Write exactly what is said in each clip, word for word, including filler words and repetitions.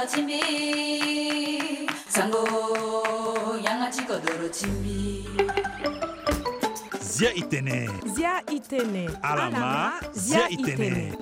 Timbi, sango, yanga ti kodoro timbi. Zia itene. Zia itene. Alama, zia itene.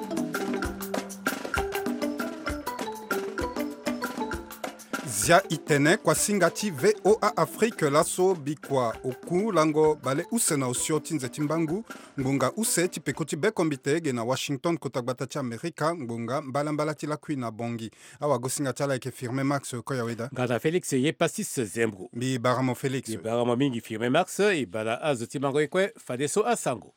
Zia itene, kuasinga ti V O A Afrique, laso bikua oku lango bale use na osio ti nze ti mbangu, ngbonga use ti peko ti bekombite ge na Washington, kota gbata ti Amerika, ngbonga mbalambala ti lakui na Bongi. Awagosinga ti ala ayeke Firmin Max Koyaweda. Nga na Félix Yepassis Zembro. Mbi bara mo Félix. Mbi bara mo mingi Firmin Max, e bara azo ti mango ye kue fadeso asango.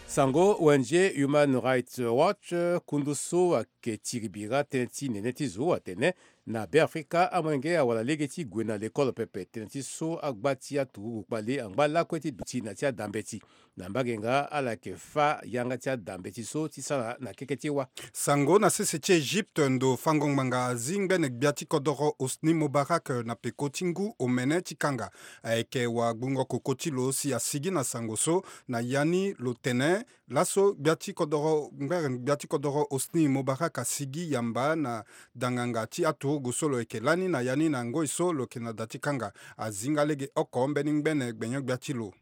Sango, O N G Human Rights Watch, kundu so ayeke tiri bira tënë ti nene ti zo atene na Beafrika amolenge awara lege ti gue na lekolo pepe, tënë ti so agba ti aturugu kpale angba lakue ti duti na ti adambeti. Na mbage nga ala yeke fâ yanga ti adambeti so ti sara na keke ti wa. Sango, na sese ti Egypte, ndo fango ngbanga azi ngbene gbia ti kodoro Hosni Moubarak na peko ti ngu omene ti kanga. Ayeke wagbungo koko ti lo si asigi na sango so na ya ni lo tene laso gbia ti kodoro, ngbere gbia ti kodoro Hosni Moubarak asigi yamba na danganga ti aturugu so lo yeke lani na ya ni na ngoi so lo yeke na da ti kanga. Azi nga lege oko mbeni ngbene gbenyo-gbia ti lo.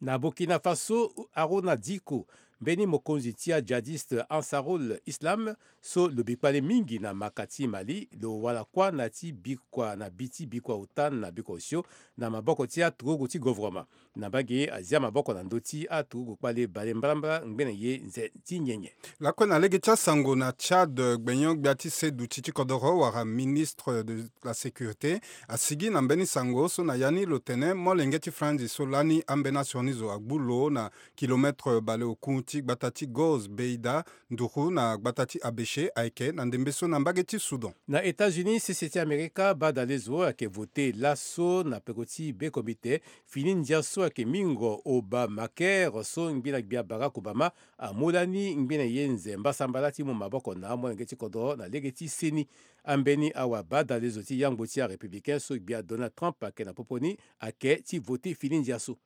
Na Burkina Faso, Harouna Dicko, mbeni mokonzi ti ajihadiste Ansarul Islam, so lo bi kpale mingi na maka ti Mali, lo wara kuâ na ti bikua, na bi ti bikua ota na bikua osio, na maboko ti aturugu ti govoroma. Na mbage, azia maboko na ndö ti aturugu kpale bale mbalambala ngbene ye nze ti nyenye. Lakue na lege ti asango na Tchad, gbenyo-gbia ti se duti ti kodoro wala ministre de la sécurité asigi na mbeni sango so na ya ni lo tene molenge ti franzi so lani ambeni asioni zo agbu lo na kilomètre baleoku ti gbata ti Goz Beida, nduru na gbata ti Abéché, ayeke na ndembe so na mbage ti Soudan. Na États-Unis, sese ti Amerika, badale zo ayeke vote laso na peko ti bekombite fini ndia so ayeke mingo Obamacare so ngbina gbia Barack Obama amu lani ngbene ye nze mbasambala ti mu maboko na amolenge ti kodro na lege ti seni. Ambeni awa badale zo ti yangbo ti arépublicain so gbia Donald Trump ayeke na popo ni ayeke ti vote fini ndia so.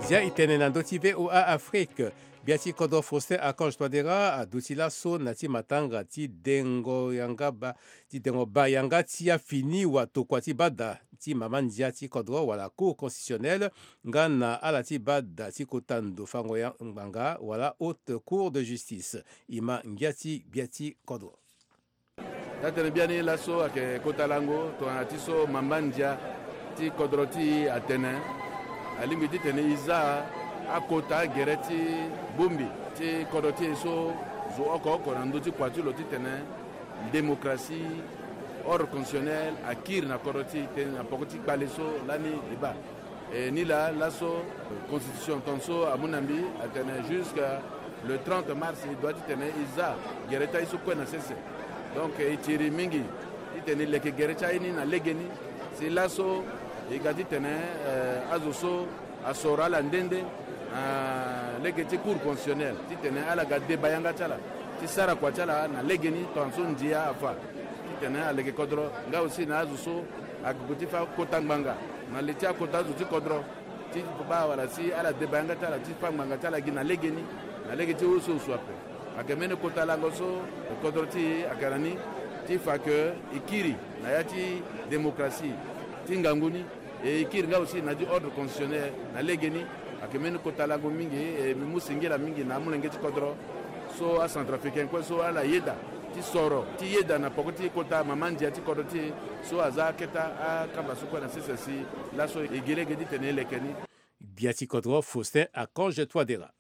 Zia e tene na ndö ti V O A Afrique. Gbia ti kodro Faustin Archange Touadéra aduti laso na ti matanga ti dengo yanga ba, ti dengo ba yanga ti afini watokua ti bada ti mama ndia ti kodro wala Cour constitutionnelle, nga na ala ti bada ti kota ndo fango ya ngbanga wala Haute Cour de justice. E ma ngia ti gbia ti kodro. Taa-tënë biani laso ayeke kota lango tongana ti so mamba ndia ti kodro ti e atene alingbi titene e za akota gere ti bongbi ti kodro ti e so zo oko oko na ndö ti kua ti lo titene démocratie, ordre constitutionnel akiri na kodro ti e tënë na poko ti kpale so lani e baa. E, nilaa laso constitution tongaso amu na mbi atene jusqu'à le trente mars e doit titene e za gere ti aye so kue na sese. Donc e tiri mingi titene e leke gere ti aye ni na legeni. Si laso e ga titene, eh, azo so asoro ala nde nde na lege ti Cour constitutionnelle titene ala ga deba yanga ti ala ti sara kua ti ala na legeni tongaso ndia afa. Titene aleke kodro nga aussi na azo so ague ti fa kota ngbanga na li ti akota azo ti kodro ti baa wala si ala deba yanga ti ala ti fa ngbanga ti ala gi na legeni na lege ti oso oso ape. Ayeke mbeni kota lango so kodro ti e ayeke na ni ti fa ke e kiri na ya ti démocratie ti ngangu ni. E kiri nga aussi na ya ti ordre constitutionnel na legeni. Ayeke mbeni kota lango mingi. E mbi mu singila mingi na amolenge ti kodro so acentrafricain kue so ala yeda ti soro ti yeda na poko ti kota mama ndia ti kodro ti e so aza aketa akamba so kue na sese si laso e gi lege titene e leke ni. Gbia ti kodro Faustin Archange Touadéra.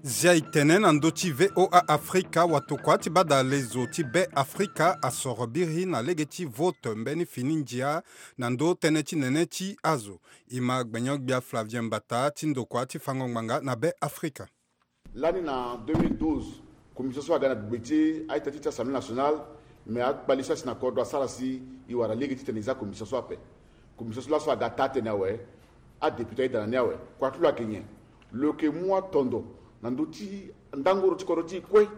Zia e tene na ndö ti V O A Afrika, watokua ti badale zo ti Be Afrika asoro biri na lege ti vote mbeni fini ndia na ndö tënë ti nene ti azo. E ma gbenyo-gbia Flavien Mbata ti ndokua ti fango ngbanga na Be Afrika. Lani na deux mille douze, commission so aga na gbe ti a-ita ti ti Assemblée nationale, me akpali so asi na kodro asara si e wara lege titene e za commission so ape. Commission so laso aga taa-tënë awe, adéputé ayeda na ni awe. Kua ti lo ayeke nyen? Lo yeke mu atondo na ndö ti ndangoro ti kodro ti e kue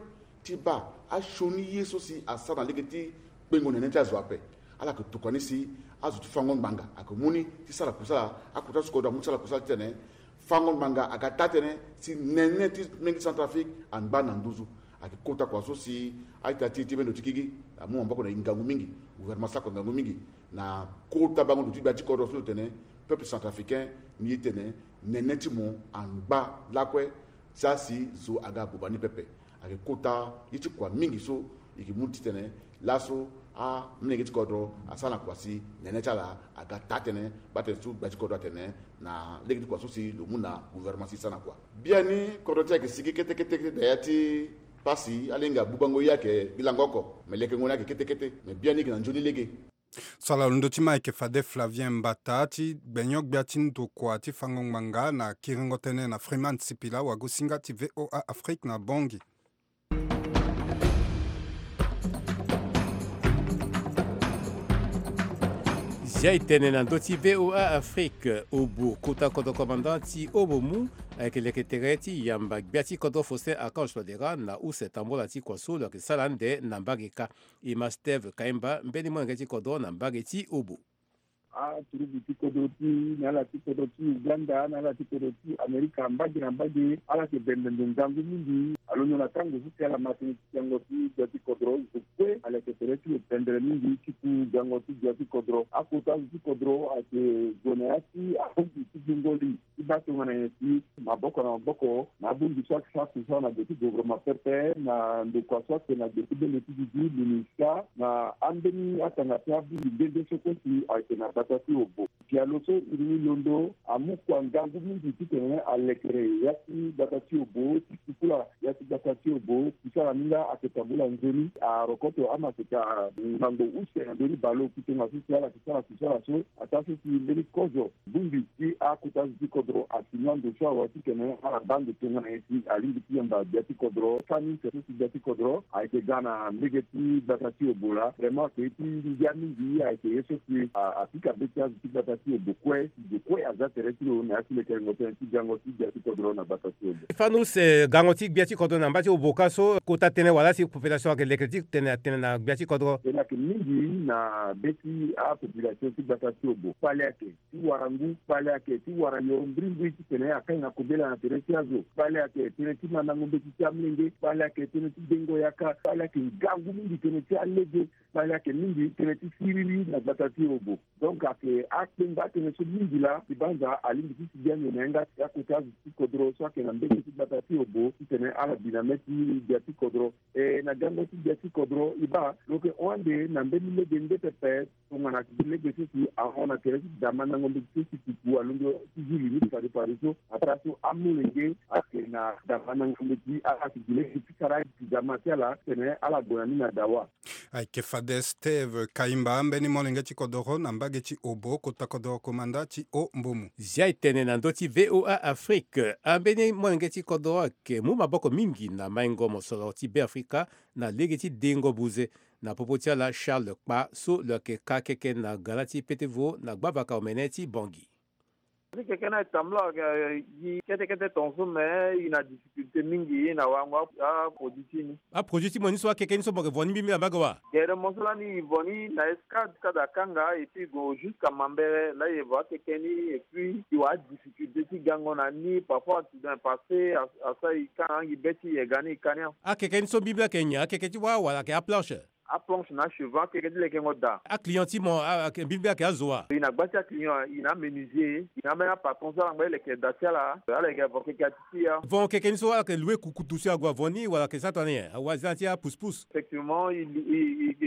ti baa asioni ye so si asara na lege ti kpengo nene ti azo ape. Ala yeke tokua ni si azo ti fango ngbanga ayeke mu ni ti sara kusala. Akota so kodro amu ti sara kusala titene fango ngbanga aga taa tënë si nene ti menge ti Centrafrique angba na nduzu. Ayeke kota kua so si a-ita ti e ti bendo ti gigi amu maboko na e ngangu mingi. Gouvernement sara kua ngangu mingi na kota bango ndo ti gbia ti kodro so lo tene peuple centrafricain ni ye tene nene ti mo angba lakue. Sara si zo aga buba ni pepe. Ayeke kota ye ti kua mingi so e yeke mu titene laso amolenge ti kodro asara na kua si nene ti ala aga taa tënë. Baa tene so gbia ti kodro atene na lege ti kua so si lo mu na gouvernement si e sara na kua. Biani kodro ti e ayeke sigi kete kete kete na ya ti pasi. Alenge abubango ye ayeke gi lango oko me lekengo ni ayeke kete kete. Me biani e yeke na nzoni lege. So ala londo ti ma ayeke fade Flavien Mbata ti gbenyo-gbia ti ndokua ti fango ngbanga na kiringo tënë na Freeman Sipila, wagosinga ti V O A Afrique na Bangui. Zia e tene na ndö ti V O A Afrique, Obo kota kodro commandant ti Obo mu ayeke leke tere ti yamba gbia ti kodro Faustin Archange Touadéra na use tambola ti kua so lo yeke sara ande na mbage kâ. E ma Steve Kaimba, mbeni molenge ti kodro na mbage ti Obo. Aturugu ti kodro ti na ala ti kodro ti Uganda na ala ti kodro ti Amerika, mbage na mbage ala yeke bembe ndo ngangu mingi. Alondo na tango so si ala ma tënë ti gango ti gbia ti kodro, zo kue ala yeke tere ti lo pendere mingi ti ku gango ti gbia ti kodro. Akota zo ti kodro ayeke gue na ya ti abongbi ti gbungo li ti baa tongana nyen si maboko na maboko na abongbi so ayeke sara kusala na gbe ti gouvernement pepe na ndokua so ayeke na gbe ti bendo ti gigi, MINUSCA, na ambeni atanga ti abongbi nde nde so kue si ayeke na gbata ti Obo. Pialo so iri ni londo amu kua ngangu mingi titene alekere ya ti gbata ti Obo ti kukula ya ti gbata ti Obo. Kusala ni nga ayeke tambula nzoni, arokoto amaseka ngango use na ndö ni baleoku tongaso si ala yeke sara kusala so. Ataa so si mbeni kozo bongbi ti akota zo ti kodro asi ni ando so awe titene ala baa ndo tongana nyen si alingbi ti yamba gbia ti kodro. Kani so si gbia ti kodro ayeke ga na mbege ti gbata ti Obo laa, vraiment ayeke ye ti ngia mingi. Ayeke ye so si a, apika be ti azo ti gbata ti Obo kue, zo kue aza tere ti lo na ya ti lekerengo tënë ti gango ti gbia ti kodro na gbata ti Obo. Fani use gango ti gbia ti kodro na mba ti Obo kâ so kota tënë wala si population ayeke leke ti tene atene na gbia ti kodro? Tënë ayeke mingi na be ti apopulation ti gbata ti Obo. Kpale ayeke ti wara ngu, kpale ayeke ti wara yo mbrimbri titene akanga kobela na tere ti azo. Kpale ayeke tënë ti mandango mbeti ti amolenge. Kpale ayeke tënë ti dengo yaka. Kpale ayeke ngangu mingi tënë ti alege. Kpale ayeke mingi tënë ti siriri na gbata ti Obo. Donc ayeke akpengba atënë so mingi laa, ti banza alingbi ti si gi ande na yanga ti akota azo ti kodro so ayeke na mbege ti gbata ti Obo titene ala bi na mê ti gbia ti kodro. E na gango ti gbia ti kodro e baa lo yeke hon ande na mbeni lege nde pepe. Tongana si gi lege so si ahon na tere ti damandango mbeti so si pupu alondo ti zi li ni fade fade so. Ataa so amolenge ayeke na damandango mbeti, ala si gi lege ti sara gi dama ti ala titene ala gue na ni na dawa. Ayeke fade Steve Kaimba, mbeni molenge ti kodoro na mbage ti Obo, kota kodoro komanda ti O Mbomu. Zia e tene na ndö ti V O A Afrique, ambeni molenge ti kodoro ayeke mu maboko mingi na maingo mosoro ti Beafrika na lege ti dengo buze. Na popo ti ala Charles Kpa so lo yeke ka keke na gara ti petevo na gbavaka omene ti Bangui. Keke ni ayeke tambula gi kete kete tongaso me e na difficulté mingi na wango aproduit ti ni. Aproduit ti mo ni so akeke ni so mo yeke vo ni mbimbi na mbage wa? Gere mo so lani e vo ni na Escade, Kadakanga, et puis e gue jusqu'à Mambere, laa e vo akeke ni et puis e wara difficulté ti gango na ni. Parfois accident passé, asara e ka na angi be ti e ga ni e ka ni. Akeke ni so mbimbi ayeke nyen? Akeke ti wâ wala ayeke aplanche? Aplanche na achevant, akeke ti lekengo daa. Aclient ti mo ayeke mbimbi ayeke azo wa? E na gba ti aclient, e na amenuisier, e na ambeni apatron so ala ngba ti leke daa ti ala. Ala yeke vo keke ati ti ya. Vo keke ni so ala yeke loue kukutu si ague avo ni wala ayeke sara tongana nyen? Awa za na ti apousse-pousse. Effectivement e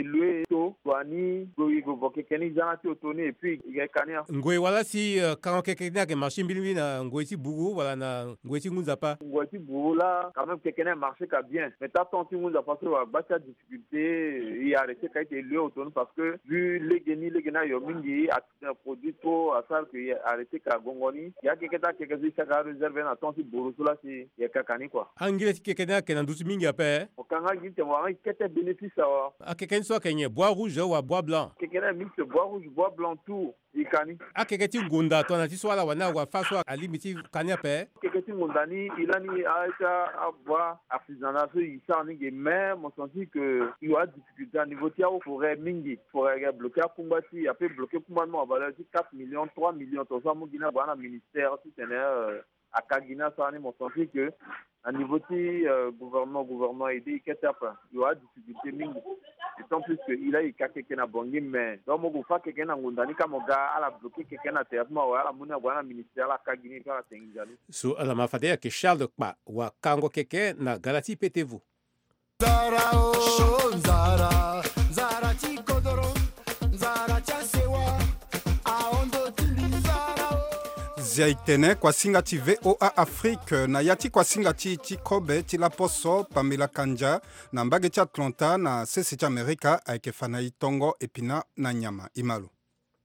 loue to, gue ni, e gue vo keke ni, za na ti oto ni et puis e yeke ka ni. Ngoi wala si kango keke ni ayeke marché mbirimbiri na ngoi ti buru wala na ngoi ti ngu nzapa? Ngoi ti buru laa quand même keke ni amarché ka bien, mais ti atemps ti ngu nzapa so wala gba ti adifficulté. E arrêté ka ti e loue oto ni parce que vu lege ni lege ni ayo mingi, accident produit trop, asara ke e arrêté ka gongo ni. Ya keke ti akeke so e saka aréserve na temps ti buru so laa si e yeke ka ni kua. Angile ti keke ni ayeke na nduzu mingi ape. Mo ka nga gi ti mo wara nga gi kete bénéfice awa. Akeke ni so ayeke nyen, bois rouge wala bois blanc? Keke ni aye mix bois rouge, bois blanc, tout. E ka ni. Akeke ti ngunda tongana ti so ala wani awa fâ so alingbi ti ka ni ape. Keke ti ngunda ni e lani a ita abua artisanat so e sara ni ge, mais mo senti que e wa difficulté na niveau ti aforêt mingi. Forêt ayeke bloqué akungba ti e, ape bloqué kungba ni mo na valeur ti quatre millions, trois millions, tongaso amu gi ni abua na ministère titene aka gi ni asara ni. Mo senti que na niveau ti gouvernement, gouvernement aidé e kete ape. E wa adifficulté mingi. D'autant plus que e laa e ka keke na Bangui, mais donc mo gue fâ keke na ngunda ni ka mo ga ala bloqué keke na tere ti mo awe, ala mu ni ague na ministère ala ka gi ni et puis ala tengi nzoni. So ala ma fade ayeke Charles Kpa wakango keke na gala ti Petevu. Nzara o, nzara, nzara ti kodoro, nzara ti asewa, ahondo ti mbi nzara o. Zia e tene kuasinga ti V O A Afrique na ya ti kuasinga ti, ti kobe ti laposo Pamela Kandja na mbage ti Atlanta na sese ti Amerika ayeke fa na e tongo épinard na nyama. E ma lo.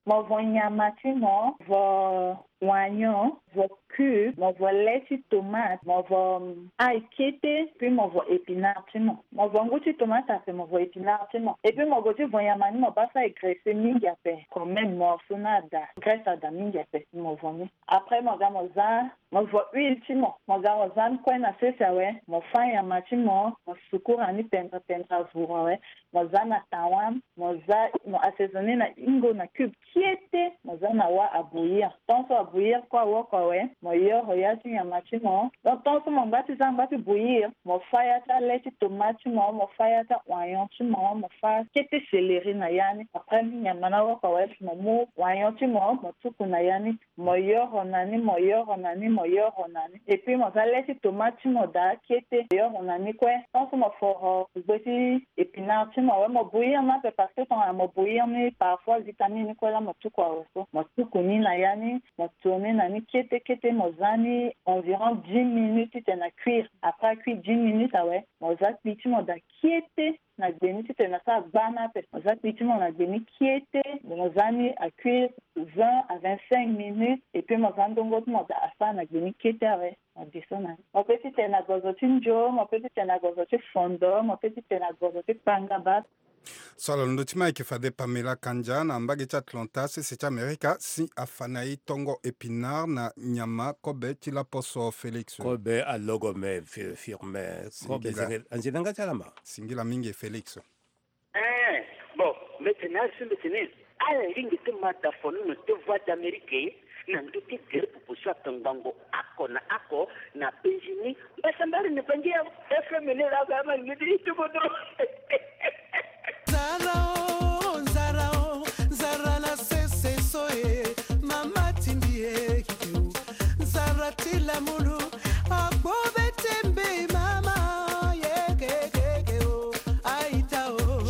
Mo vo nyama ti mo, vo oignon, vo cube, mo vo lait ti tomate, mo vo, mm, ail kete, puis mo vo épinard ti mo. Mo vo ngu ti tomate ape, mo vo épinard ti mo. Et puis mo gue ti vo nyama ni, mo bâ so aye graisse mingi ape. Quand même morceau ni ada, graisse ada mingi ape, mo vo ni. Après mo ga mo za, mo vo huile ti mo, mo ga mo za ni kue na sese awe, mo fâ nyama ti mo, mo sukura ni pendra pendra vuru awe, mo za na tawa, mo za, mo assaisonné na hingo na cube kiete, mo za na wâ abouillir. Tant so abouillir kue awoko awe, mo yoro ya ti nyama ti mo. Donc tant so mo ngba ti za ngba ti bouillir, mo fâ ya ti alait ti tomate ti mo, mo fâ ya ti aoignon ti mo, mo fâ kete céleri na ya ni. Après ni nyama ni awoko awe, mo mu oignon ti mo, mo tuku na ya ni. Mo yoro na ni, mo yoro na ni, mo yoro na ni. Et puis mo za lait ti tomate ti mo daa kiete, mo yoro na ni kue. Tant so mo foro gbe ti épinard ti mo awe, mo bouillir ni ape parce que tongana mo bouillir ni parfois vitamine ni kue laa mo tuku awe so. Mo tuku ni na ya ni, mo to ni na ni kiete kiete, mo za ni environ dix minutes titene a cuire. Après a cuire dix minutes awe, mo za kpi ti mo daa kiete na gbe ni titene asara gbana ape. Mo za kpi ti mo na gbe ni kiete, mo za ni a cuire vingt à vingt-cinq minutes, et puis mo za ndongo ti mo daa asara na gbe ni kiete awe. Mo de so na ni. Mo pe titene na gozo ti nzo, mo pe titene na gozo ti fondo, mo pe titene na gozo ti kpangaba. So ala londo ti ma ayeke fade Pamela Kandja na mbage ti Atlanta, sese ti Amerika, si afa na e tongo épinard na nyama kobe ti laposo Félix. Kobe alogo me fi-, firme. Kobe singila. Anzela nga ti ala ma. Singila mingi Félix. Eh, bon, mbeti na asu mbeti ni. Ala lingbi ti ma da fono na ti Voix d'Amérique na ndö ti gere popo so atongbango oko na oko na penzi ni. Mbasambari ni bangi ya F M ni la ga ma ngidi ti bodo. Nzara o, nzara o, nzara na sese so e, mama tindi e, kiki o. Nzara ti lamulu, akpo bete mbe mama, ye ke ke ke o, aita o.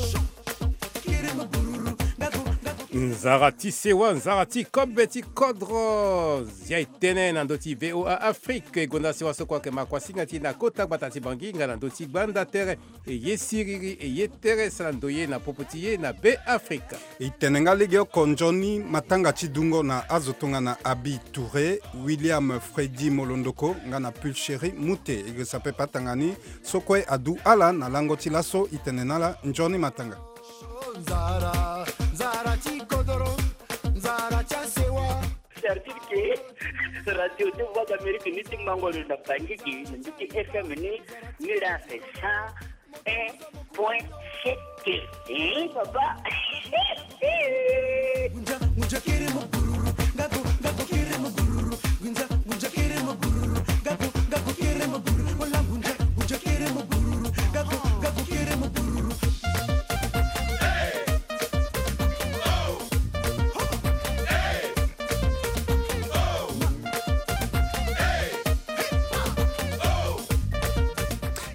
Nzara ti sewa, nzara ti kobe ti kodro. Zia e tene na ndö ti V O A Afrique, e gonda sewa so kue ayeke ma kuasinga ti e na kota gbata ti Bangui nga na ndö ti gbanda tere. E ye siriri, e ye tere, sara ndoye na popo ti e na Be Afrika. E tene nga legeoko nzoni matanga ti dungo na azo tongana Abi Touré, William Freddy Molondoko nga na Pulchérie Moutet. E girisa pepe atanga ni so kue adu ala na lango ti laso. E tene na ala nzoni matanga. Nzara, nzara ti kodoro, nzara ti asewa. C'est-à-dire que radio ti Voix d'Amérique ni ti mango lo na Bangui gi, na ndö ti F M ni, ni la c'est cent un point sept. Eh, papa.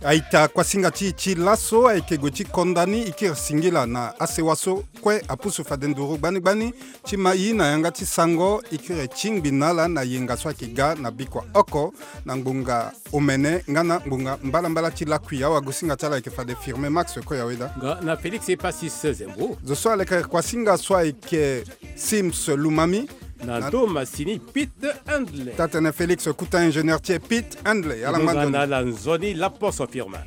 Aita, kuasinga ti e ti laso ayeke gue ti konda ni. E kiri singila na asewa so kue apusu fade nduru gbani gbani ti ma e na yanga ti sango. E kiri tingbi na ala na yenga so ayeke ga na bikua oko na ngbonga omene nga na ngbonga mbalambala ti lakui. Awagosinga ti ala ayeke fade Firme Max Koyaweda nga na Félix Epasis Zembo. Zo so aleke kuasinga so ayeke Sims Lumami. Na ndo masini Pete Handley. Tatene Félix kuta ingénieur ti e Pete Handley. Ala ngbanda na ala nzoni laposo Firme.